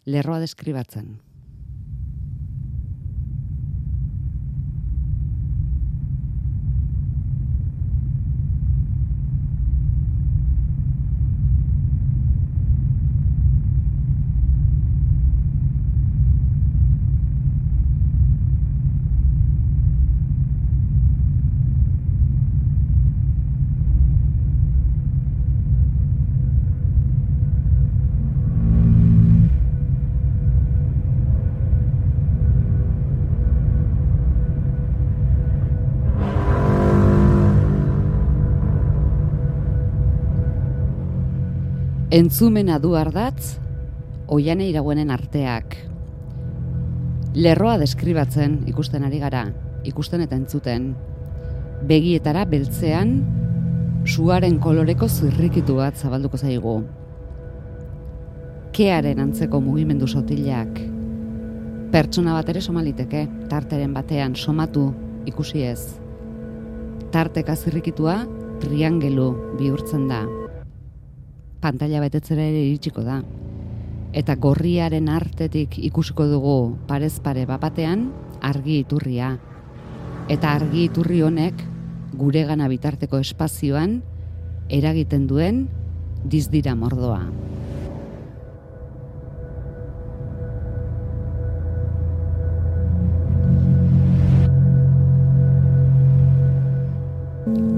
lerroa deskribatzen. Entzumena du ardatz, Oiane Iraguenen arteak. Lerroa deskribatzen ikusten ari gara, ikusten eta entzuten. Begietara beltzean, suaren koloreko zirrikitu bat zabalduko zaigu. Kearen antzeko mugimendu sotilak. Pertsona bat ere somaliteke, tarteren batean somatu ikusi ez. Tarteka zirrikitua triangelu bihurtzen da. Pantalla betetzera ere iritsiko da. Eta gorriaren artetik ikusiko dugu parez pare bapatean argi iturria. Eta argi iturri honek guregana bitarteko espazioan eragiten duen dizdira mordoa.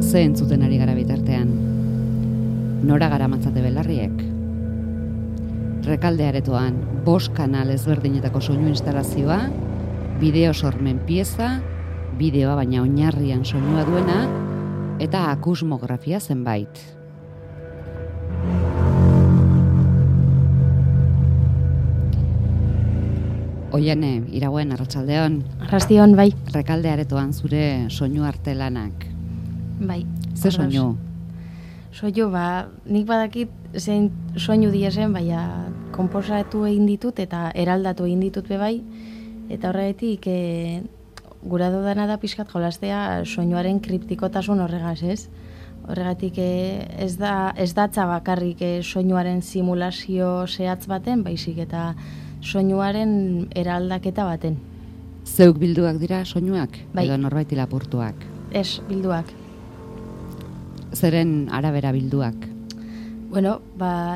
Ze entzuten ari gara bitartean? Nora garamatzate belarriek. Rekalde aretoan 5 kanal ezberdinetako soinu instalazioa, bideo sormen pieza, bideoa baina oinarrian soinua duena, eta akusmografia zenbait. Oiane, Iraguen, arratsaldeon. Arrastion, bai. Rekalde aretoan zure soinu artelanak. Bai. Ze soinu? Soinu, nik badakit zein soinu diesen, baina konposatu egin ditut eta eraldatu egin ditut bai, eta horregatik gura dudana da pixkat jolastea soinuaren kriptikotasun horregaz, ez? Horregatik ez datza bakarrik soinuaren simulazio zehatz baten, baizik eta soinuaren eraldaketa baten. Zeuk bilduak dira soinuak? Bai. Edo norbaiti lapurtuak? Ez, bilduak. Zeren arabera bilduak? Bueno,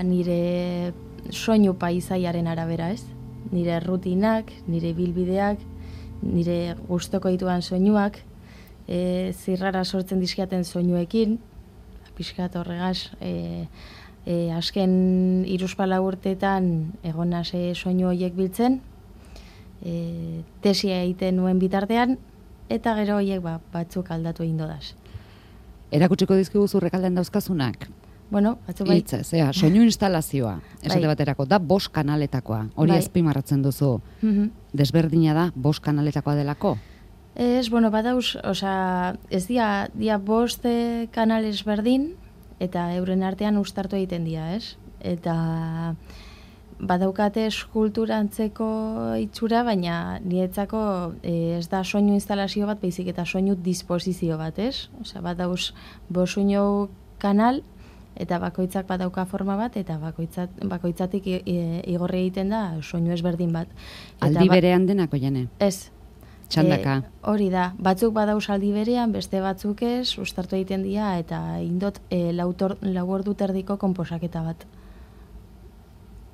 nire soinu paisaiaren arabera, ez? Nire rutinak, nire bilbideak, nire gustoko dituan soinuak, zirrara sortzen dizkiaten soinuekin, pixkat horregaz, azken 3-4 urteetan egon nase soinu horiek biltzen, tesia egiten nuen bitartean, eta gero horiek batzuk aldatu egin dodaz. Erakutsiko dizkigu Rekaldean dauzkazunak? Bueno, batzu bai. Hitz, soinu instalazioa, esate baterako, da 5 kanaletakoa. Hori azpimarratzen duzu. Desberdina da 5 kanaletakoa delako? Ez, badauz, ez dia 5 kanal ezberdin, eta euren artean uztartu egiten dira, ez? Eta badaukate eskulturantzeko itxura, baina niretzako ez da soinu instalazio bat, baizik eta soinu disposizio bat, ez? Badauz 5 soinu kanal, eta bakoitzak badauka forma bat, eta bakoitzatik igorri egiten da soinu ezberdin bat. Aldi berean denako, Jane? Ez. Txandaka? Hori da. Batzuk badauz aldi berean, beste batzuk ez, uztartu egiten dira, eta indot 4 ordu terdiko konposaketa bat.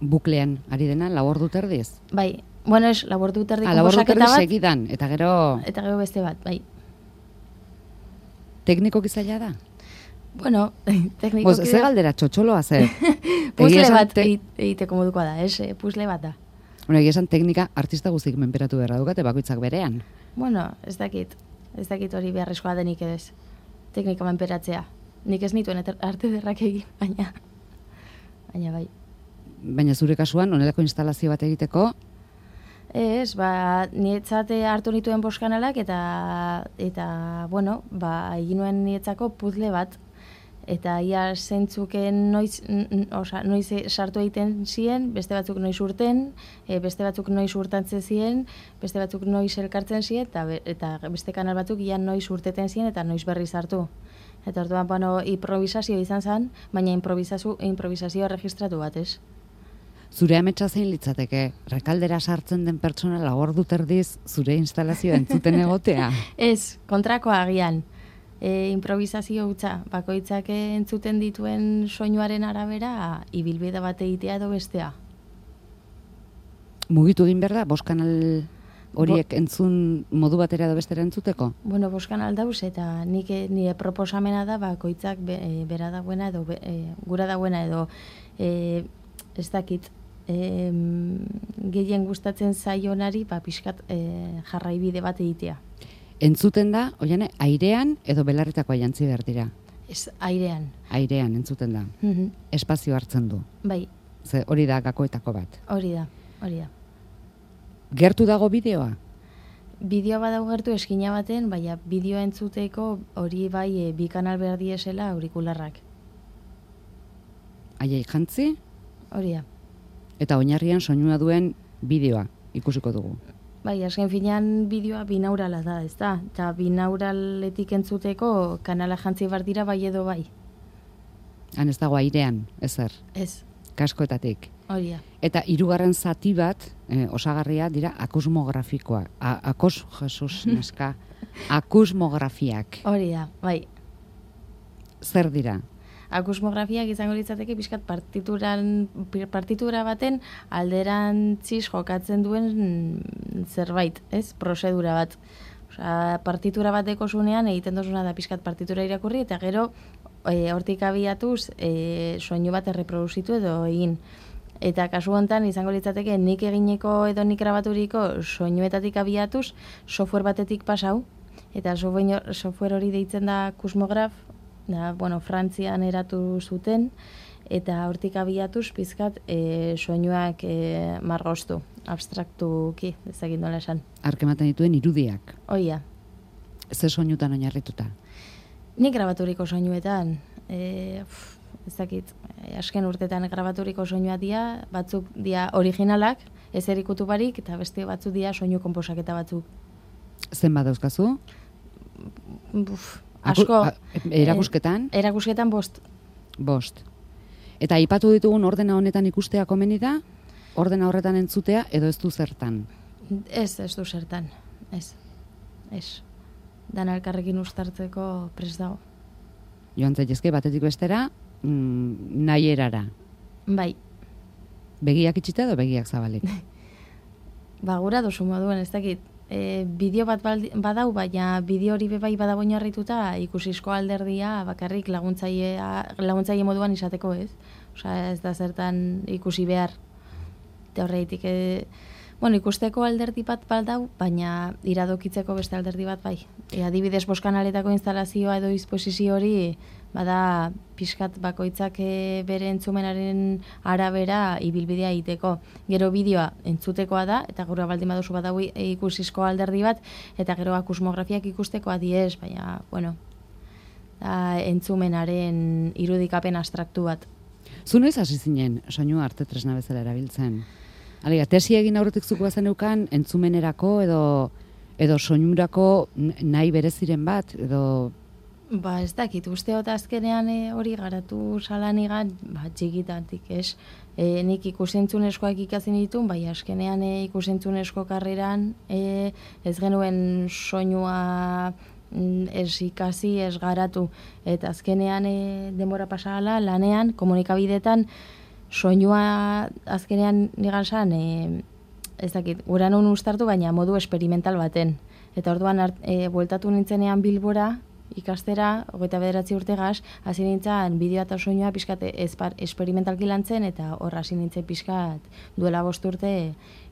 Buklean, ari dena, 4 ordu terdiz? Bai. Bueno, ez, 4 ordu terdiko konposaketa bat. 4 ordu terdiz segidan, eta gero... Eta gero beste bat, bai. Tekniko gizaila da? Bueno, teknikoki da. Ze galdera txotxoloa zer? Puzle bat egiteko modukoa da, ez? Puzle bat da. Egia esan teknika artista guztik menperatu beharra dukate bakoitzak berean. Bueno, ez dakit hori beharrezkoa denik ez. Teknika menperatzea. Nik ez nituen arte derrak egin, baina bai. Baina zure kasuan, honelako instalazio bat egiteko? Ez, niretzate hartu nituen 5 kanalak eta bueno, egin nuen niretzako puzle bat. Eta ia zentzuken noiz sartu egiten ziren, beste batzuk noiz urten, beste batzuk noiz urtantzen ziren, beste batzuk noiz elkartzen ziren, eta beste kanal batzuk ia noiz urteten ziren eta noiz berri sartu. Eta orduan, improvisazio izan zen, baina improvisazio registratu bat, ez? Zure ametsa zein litzateke, Rekaldera sartzen den pertsona ordu terdiz zure instalazioa entzuten egotea? Ez, kontrakoa agian. Improvisazio hutsa, bakoitzak entzuten dituen soinuaren arabera, ibilbide bat egitea edo bestea. Mugitu egin behar da, bost kanal horiek entzun modu batera edo bestera entzuteko? Bueno, bost kanal dauz, eta nire proposamena da, bakoitzak bera dagoena edo gura dagoena edo ez dakit, gehien gustatzen zaionari pixkat jarraibide bat egitea. Entzuten da, oiane, airean edo belarritakoa jantzi behar dira? Ez, airean. Airean entzuten da. Espazio hartzen du. Bai. Ze hori da gakoetako bat. Hori da. Gertu dago bideoa? Bideoa badago gertu eskina baten, baina bideoa entzuteko hori bai bi kanal behar diesela aurikularrak. Aiei jantzi? Hori da. Eta oinarrian soinua duen bideoa ikusiko dugu. Bai, azken finean bideoa binaurala da, ez da? Eta binauraletik entzuteko kanala jantzi behar dira bai edo bai. Han ez dago airean, ezer? Ez. Kaskoetatik. Hori da. Eta hirugarren zati bat, osagarria dira akusmografikoa. Jesus, neska. Akusmografiak. Hori da, bai. Zer dira? Akusmografiak izango litzateke pixkat partitura baten alderantziz jokatzen duen zerbait, ez? Prozedura bat. Osea, partitura bateko zunean egiten dozuna da pixkat partitura irakurri eta gero hortik abiatuz soinu bat erreproduzitu edo egin. Eta kasu honetan izango litzateke nik egineko edo nik grabaturiko soinuetatik abiatuz software batetik pasau eta software hori deitzen da akusmograf. Da, Frantzian eratu zuten, eta hortik abiatuz pizkat soinuak margoztu, abstraktuki, ezagin nola esan. Arkematen dituen irudiak. Oia. Ze soinutan oinarrituta? Nik grabaturiko soinuetan, ezakit, azken urtetan grabaturiko soinua dia, batzuk dia originalak, ez erikutu barik, eta beste batzuk dia soinu konposaketa batzuk. Zen badauzkazu? Asko. Erakusketan? Erakusketan 5. 5. Eta aipatu ditugun ordena honetan ikustea komeni da? Ordena horretan entzutea edo ez du zertan? Ez du zertan. Ez. Dana elkarrekin uztartzeko prest dago. Joan zaitezke batetik bestera, nahi erara. Bai. Begiak itxita edo begiak zabalik? Gura duzu moduen, ez dakit. Bideo bat badau, baina bideo hori bebai badago oinarrituta ikusizko alderdia bakarrik laguntzaile moduan izateko, ez? Osea, ez da zertan ikusi behar. Eta horreitik, ikusteko alderdi bat badau, baina iradokitzeko beste alderdi bat bai. Adibidez, 5 kanaletako instalazioa edo disposizio hori bada pixkat bakoitzak bere entzumenaren arabera ibilbidea egiteko. Gero bideoa entzutekoa da, eta gure baldin baduzu badau ikusizko alderdi bat, eta gero akusmografiak ikusteko adiez, baina, da entzumenaren irudikapen abstraktu bat. Zu noiz hasi zinen soinua arte tresna bezala erabiltzen? Alega, tesi egin aurretik zuko bazenukan entzumenerako edo soinurako nahi bereziren bat, edo... Ez dakit, usteot azkenean hori garatu salanigan, txikitatik, ez? Nik ikusentzunezkoak ikazin ditun, bai azkenean ikusentzunezko karreran ez genuen soinua ez ikasi, ez garatu. Eta azkenean denbora pasala lanean, komunikabidetan, soinua azkenean nigan zan, ez dakit, gura non ustartu, baina modu experimental baten. Eta orduan bueltatu nintzenean Bilbora, ikastera, 29 urtegaz, hasi nintzen bideo eta soinua pixkat esperimentalki lantzen, eta hor hasi nintzen pixkat duela 5 urte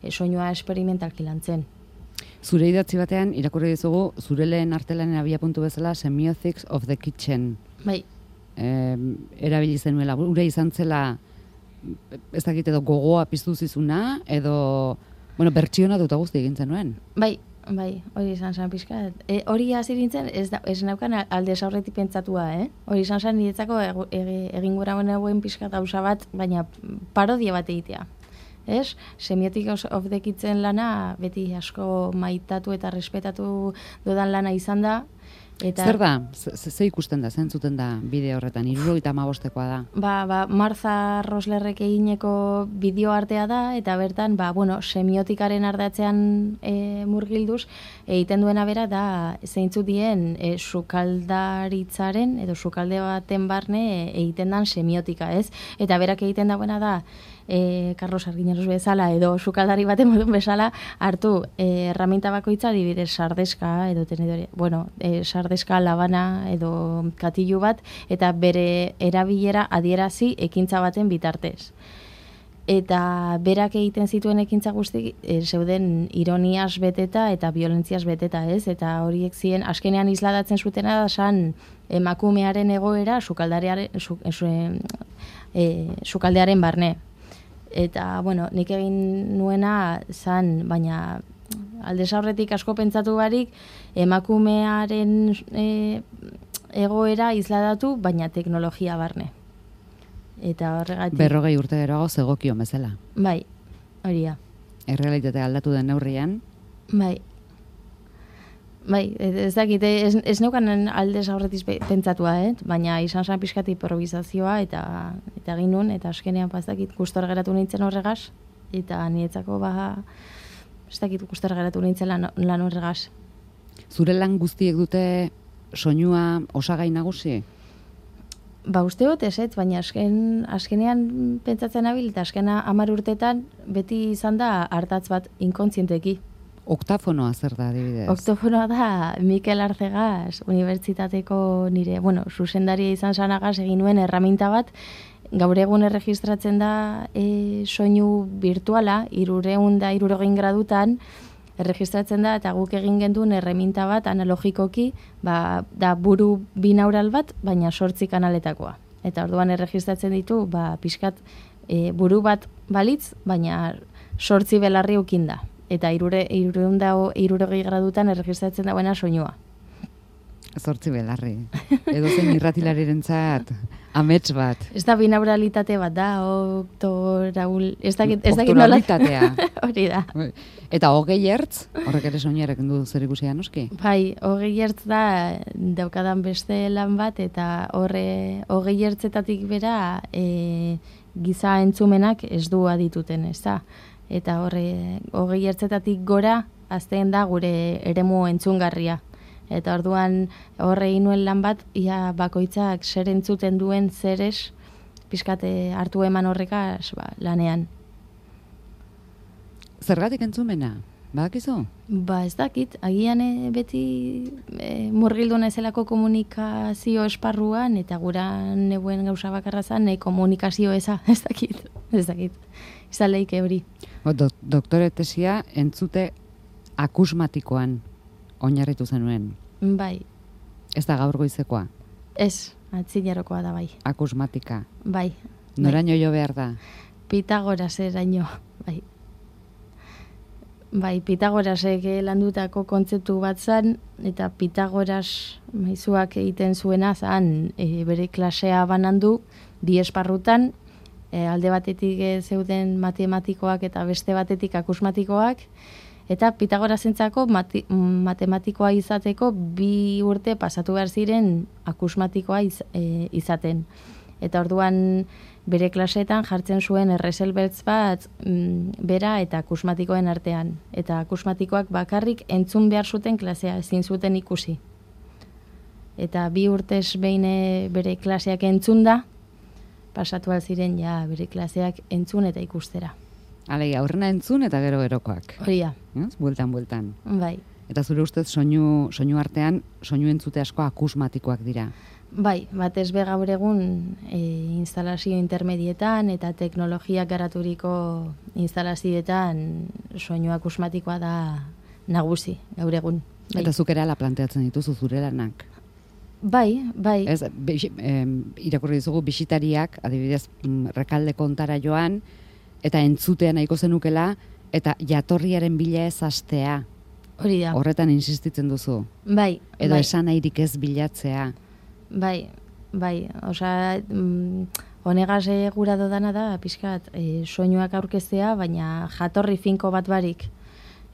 soinua esperimentalki lantzen. Zure idatzi batean, irakurri dizugu, zure lehen artelanen abiapuntu bezala, Semiotics of the Kitchen. Bai. Erabili zenuela, gure izan zela, ez dakit edo gogoa piztu zizuna, edo, bertsiona dut guzti egin zenuen. Bai, hori izan zen pixka. Hori hasi nintzen, ez naukan alde aurretik pentsatua, Hori izan zen niretzako egin gura honen pixka gauza bat, baina parodia bat egitea. Ez? Semiotics of the Kitchen lana beti asko maitatu eta respetatu dudan lana izan da, Zer da? Ze ikusten da, zentzuten da bideo horretan? 75koa da. Martha Roslerrek egineko bideo artea da, eta bertan, semiotikaren ardatzean murgilduz, egiten duena bera da zeintzu dien sukaldaritzaren, edo sukalde baten barne egiten dan semiotika, ez? Eta berak egiten dagoena da, Carlos Argiñanos bezala edo sukaldari baten modun bezala hartu erraminta bakoitza adibidez sardeska edo tenedore, sardeska, labana edo katilu bat eta bere erabilera adierazi ekintza baten bitartez. Eta berak egiten zituen ekintza guzti zeuden ironiaz beteta eta violentziaz beteta, ez? Eta horiek ziren azkenean isladatzen zutena da san emakumearen egoera sukaldearen barne. Eta, nik egin nuena zan, baina aldez aurretik asko pentsatu barik, emakumearen egoera isladatu, baina teknologia barne. Eta horregatik... 40 urte geroago zegokio bezala. Bai, hori da. Errealitatea aldatu den neurrian. Bai, ez dakit, ez neukan aldez aurretiz pentsatua, baina izan zen pixkat improvisazioa eta egin nun, eta azkenean ez dakit gustor geratu nintzen horregaz, eta niretzako ez dakit gustor geratu nintzen lan horregaz. Zure lan guztiek dute soinua osagai nagusi? Uste dut ez, baina azkenean pentsatzen nabil, eta azkena 10 urtetan beti izan da hartatz bat inkontzienteki. Oktafonoa zer da, adibidez? Oktafonoa da Mikel Arcegaz unibertsitateko nire, zuzendaria izan zanagaz egin nuen erraminta bat, gaur egun erregistratzen da soinu virtuala, 360 gradutan erregistratzen da, eta guk egin genduen erraminta bat analogikoki, da buru binaural bat, baina 8 kanaletakoa. Eta orduan erregistratzen ditu, pixkat buru bat balitz, baina 8 belarri ukinda. Eta 360 gradutan erregistratzen dagoena soinua. 8 belarri. Edo zen irratilarirentzat amets bat. Ez da binauralitate bat da, ez dakit oktoralitatea. Hori da. Eta 20 hertz, horrek ere soinuarekin du zer ikusia noski? Bai, 20 hertz da daukadan beste lan bat, eta 20 hertzetatik bera giza entzumenak ez du adituten, ez da? Eta 20 hertzetatik gora azten da gure eremu entzungarria. Eta orduan egin nuen lan bat, ia bakoitzak zer entzuten duen zerez, pixkate hartu eman horrekaz lanean. Zergatik entzumena? Badakizu? Ez dakit, agian beti murgildu nahizelako komunikazio esparruan, eta gura nebuen gauza bakarra zan, komunikazio eza, ez dakit. Izan lehike hori. Doktore tesia entzute akusmatikoan oinarritu zenuen. Bai. Ez da gaur goizekoa? Ez, atzinerokoa da bai. Akusmatika? Bai. Noraino jo behar da? Pitagoraseraino, bai. Bai, Pitagorasek landutako kontzeptu bat zan, eta Pitagoras maizuak egiten zuena zan bere klasea banandu, 2 esparrutan, alde batetik zeuden matematikoak eta beste batetik akusmatikoak, eta Pitagorasentzako matematikoa izateko 2 urte pasatu behar ziren akusmatikoa izaten. Eta orduan bere klaseetan jartzen zuen erreselbeltz bat bera eta akusmatikoen artean. Eta akusmatikoak bakarrik entzun behar zuten klasea, ezin zuten ikusi. Eta 2 urtez behin bere klaseak entzun da, pasatu ziren bere klaseak entzun eta ikustera. Alegia, aurrena entzun eta gero-gerokoak. Horia. Bueltan. Bai. Eta zure ustez soinu artean, soinu entzute asko akusmatikoak dira. Bai, batez be gaur egun instalazio intermedietan eta teknologiak garaturiko instalazioetan soinu akusmatikoa da nagusi gaur egun. Bai. Eta zuk erala planteatzen dituzu zure lanak. Bai. Ez, irakurri dizugu bisitariak, adibidez, Rekalde kontara joan, eta entzutea nahiko zenukela, eta jatorriaren bila ez hastea. Hori da. Horretan insistitzen duzu. Bai. Edo esan nahirik ez bilatzea. Bai. Osea, honegaz gura dodana da, pixkat, soinuak aurkeztea, baina jatorri finko bat barik.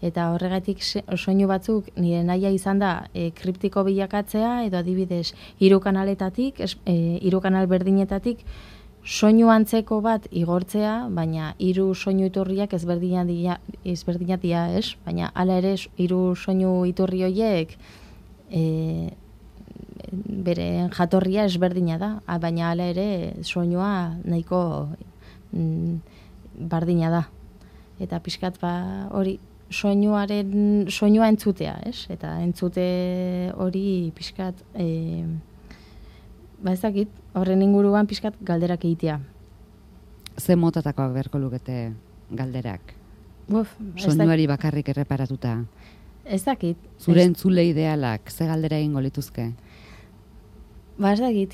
Eta horregatik soinu batzuk nire naia izan da kriptiko bilakatzea, edo adibidez hiru kanaletatik, hiru kanal berdinetatik, soinu antzeko bat igortzea, baina hiru soinu iturriak ezberdinak dira, ez? Baina hala ere hiru soinu iturri horiek bere jatorria ezberdina da, baina hala ere soinua nahiko bardina da. Eta pixkat hori soinua entzutea, ez? Eta entzute hori pixkat ez dakit, horren inguruan pixkat galderak egitea. Ze motatakoak beharko lukete galderak? Soinuari bakarrik erreparatuta. Ez dakit. Zure entzule idealak, ze galdera egingo lituzke? Ez dakit,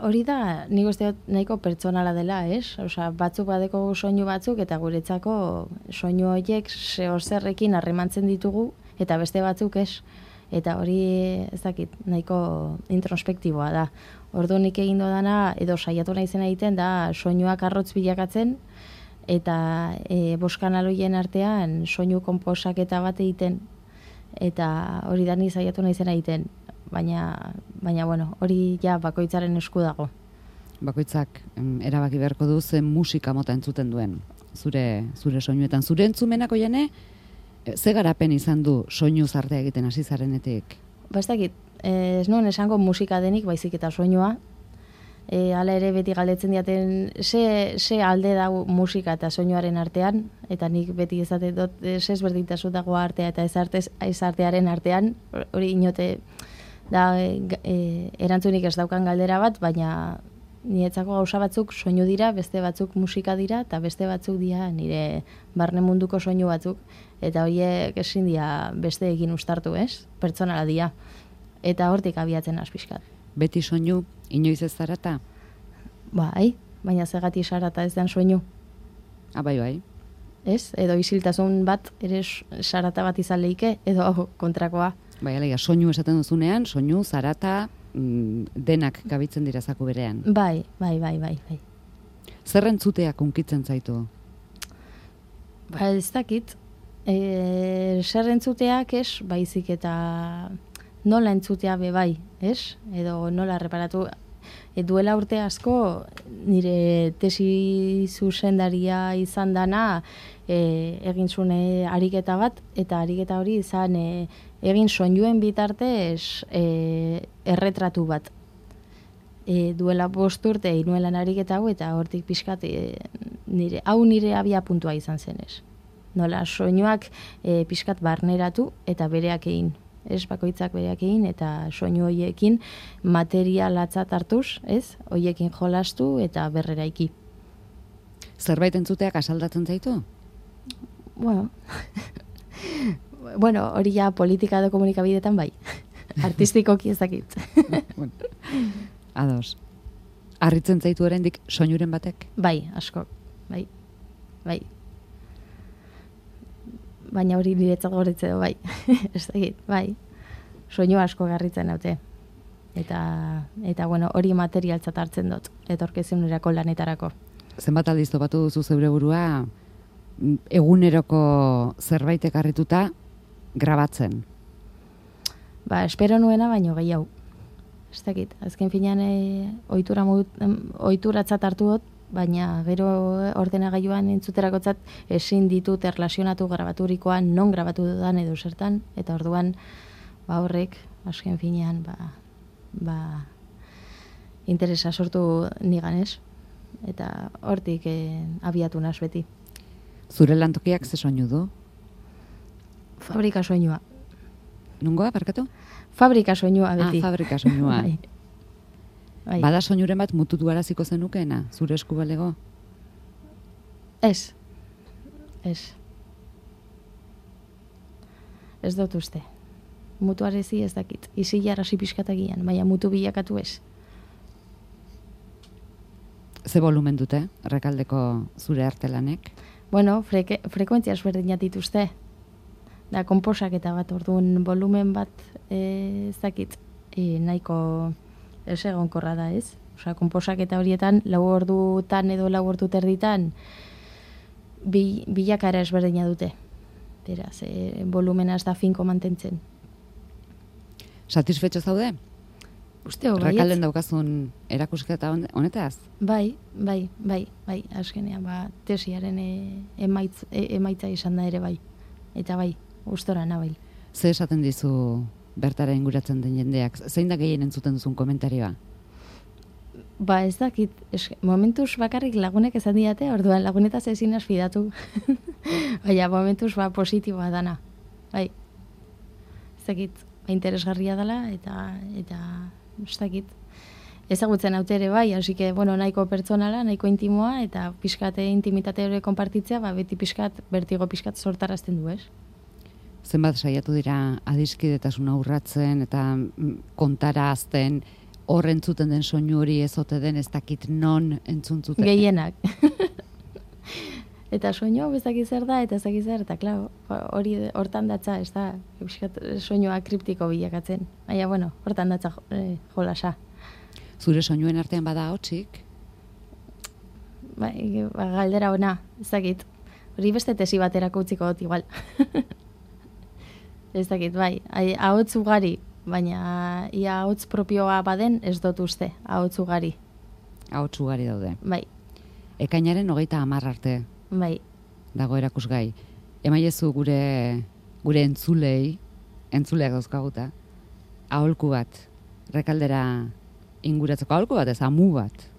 hori da, nik uste nahiko pertsonala dela, ez? Osa, batzuk badeko soinu batzuk, eta guretzako soinu horiek zerrekin harremantzen ditugu, eta beste batzuk ez. Eta hori, ez dakit, nahiko introspektiboa da. Ordu nik egin dodana, edo saiatu naizen egiten, da soinuak arrotz bilakatzen, eta boskanaloien artean soinu konposaketa bat egiten, eta hori da ni saiatu naizen egiten. Baina bueno, hori ja bakoitzaren esku dago. Bakoitzak erabaki beharko du zen musika mota entzuten duen, zure soinuetan. Zure entzumenako jane, ze garapen izan du soinu zartea egiten hasi zarenetik? Ez dakit, ez nuen esango musika denik, baizik eta soinua. Hala ere beti galdetzen diaten ze alde dago musika eta soinuaren artean, eta nik beti ezaten dut ze ezberdintasun dago artea eta ez artearen artean, hori inote da erantzunik ez daukan galdera bat, baina niretzako gauza batzuk soinu dira, beste batzuk musika dira, eta beste batzuk dira nire barne munduko soinu batzuk, eta horiek ezin dira beste egin ustartu, ez? Pertsonala dira. Eta hortik abiatzen azpiskat. Beti soinu, inoiz ez zarata? Bai, baina zegati sarata ez den soinu. Bai. Ez? Edo isiltasun bat, ere sarata bat izan leike, edo kontrakoa. Bai, alegia, soinu esaten duzunean, soinu, zarata, denak gabitzen dira zaku berean. Bai. Zer entzuteak unkitzen zaitu? Ez dakit. Zer entzuteak ez, baizik eta nola entzutea bai, ez? Edo nola reparatu. Duela urte asko, nire tesi zuzendaria izan dana, egin zuen ariketa bat, eta ariketa hori izan egin soinuen bitartez erretratu bat. Duela 5 urte inuelan ariketa hau, eta hortik pixkat nire abia puntua izan zenez. Nola soinuak pixkat barneratu eta bereak egin. Ez bakoitzak bereak egin, eta soinu horiekin material atzat hartuz, ez? Horiekin jolastu eta berreraiki. Zerbait entzuteak asaldatzen zaitu? Bueno, hori ja politika edo komunikabidetan bai. Artistikoki ez dakit. Ados. Harritzen zaitu oraindik soinuren batek? Bai, asko. Bai. Baina hori niretzat goretze du, bai. Ez dakit, bai. Soinu asko garritzen haute. Eta bueno, hori materialtzat hartzen dut, etorkizunerako lanetarako. Zenbat aldiz topatu duzu zeure burua eguneroko zerbaitek harrituta grabatzen? Espero nuena, baino gehiago. Ez dakit, azken finean ohituratzat hartu dut, baina gero ordenagailuan entzuterakotzat ezin ditut erlazionatu grabaturikoan non grabatu dudan edo zertan, eta orduan horrek azken finean interesa sortu nigan, ez? Eta hortik abiatu naz beti. Zure lantokiak ze soinu du? Fabrika soinua. Nungoa, barkatu? Fabrika soinua beti. Fabrika soinua. Bai. Bada soinuren bat mututu araziko zenukeena, zure esku balego? Ez. Ez dut uste. Mutu arezi ez dakit. Izi jarrasi pixkatagian, baina mutu bilakatu ez. Ze volumen dute, Errekaldeko zure artelanek? Bueno, frekuentzia ezberdinak dituzte. Da, konposaketa bat, orduan volumen bat ez dakit, nahiko ez egonkorra da, ez? Osea, konposaketa horietan, 4 ordutan edo 4 ordu terditan bilakara ezberdina dute. beraz, volumena ez da finko mantentzen. Satisfetxo zaude? Usteo, baietz. Rekalden daukazun erakusketa honetaz? Bai, azkenean, tesiaren emaitza izan da ere bai. Eta bai, gustora nabil. Ze esaten dizu bertara inguratzen den jendeak? Zein da gehien entzuten duzun komentarioa? Ez dakit, momentuz bakarrik lagunek esan diate, orduan lagunetaz ezin fidatu. Baina momentuz positiboa dana. Bai, ez dakit, interesgarria dela, eta ez dakit. Ezagutzen haute ere bai, hasi que, nahiko pertsonala, nahiko intimoa, eta pixkate intimitate hori konpartitzea, beti bertigo pixkat sortarazten du, ez? Zenbat saiatu dira adiskidetasuna urratzen eta kontara azten, hor entzuten den soinu hori ez ote den, ez dakit non entzuntzuten. Gehienak. Eta soinu ez dakit zer da, eta ez dakit zer, eta klar, hori hortan datza, ez da, soinua kriptiko bilakatzen. Baina, hortan datza jolasa. Zure soinuen artean bada hotsik? Galdera ona, ez dakit. Hori beste tesi baterako utziko dut igual. Ez dakit, bai, ahots ugari, baina ia ahots propioa baden ez dut uste, ahots ugari. Ahots ugari daude. Bai. Ekainaren 30 arte. Bai. Dago erakusgai. Emaiezu gure entzuleak dauzkaguta, aholku bat, Rekaldera inguratzeko, aholku bat ez, amu bat,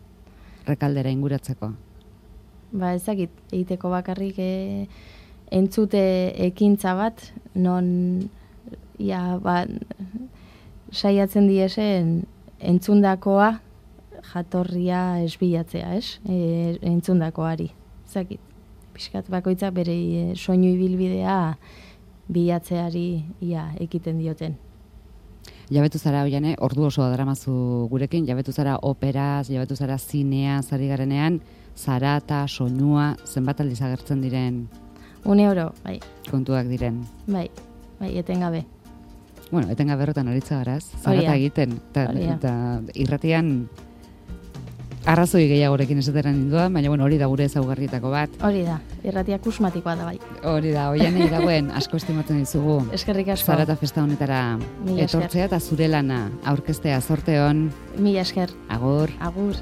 Rekaldera inguratzeko. Ez dakit, egiteko bakarrik entzute ekintza bat, non saiatzen diesen entzundakoa jatorria esbilatzea, ez? Entzundakoari. Zakit, pixkat bakoitzak bere soinu ibilbidea bilatzeari ekiten dioten. Jabetu zara Oiane, ordu oso daramazu gurekin, jabetu zara operaz, jabetu zara zineaz ari garenean, zara eta soinua zenbat aldiz agertzen diren? 1 euro, bai. Kontuak diren. Bai, etengabe. Etengabe horretan aritza garaz, zarata egiten, eta irratian arrazoi gehiagorekin esateran ninduan, baina hori da gure ezaugarrietako bat. Hori da, irratia kusmatikoa da bai. Hori da, Oiane dagoen asko estimatzen dizugu. Eskerrik asko. Zarata festa honetara etortzea eta zure lana aurkeztea, zorte hon. Mila esker. Agur. Agur.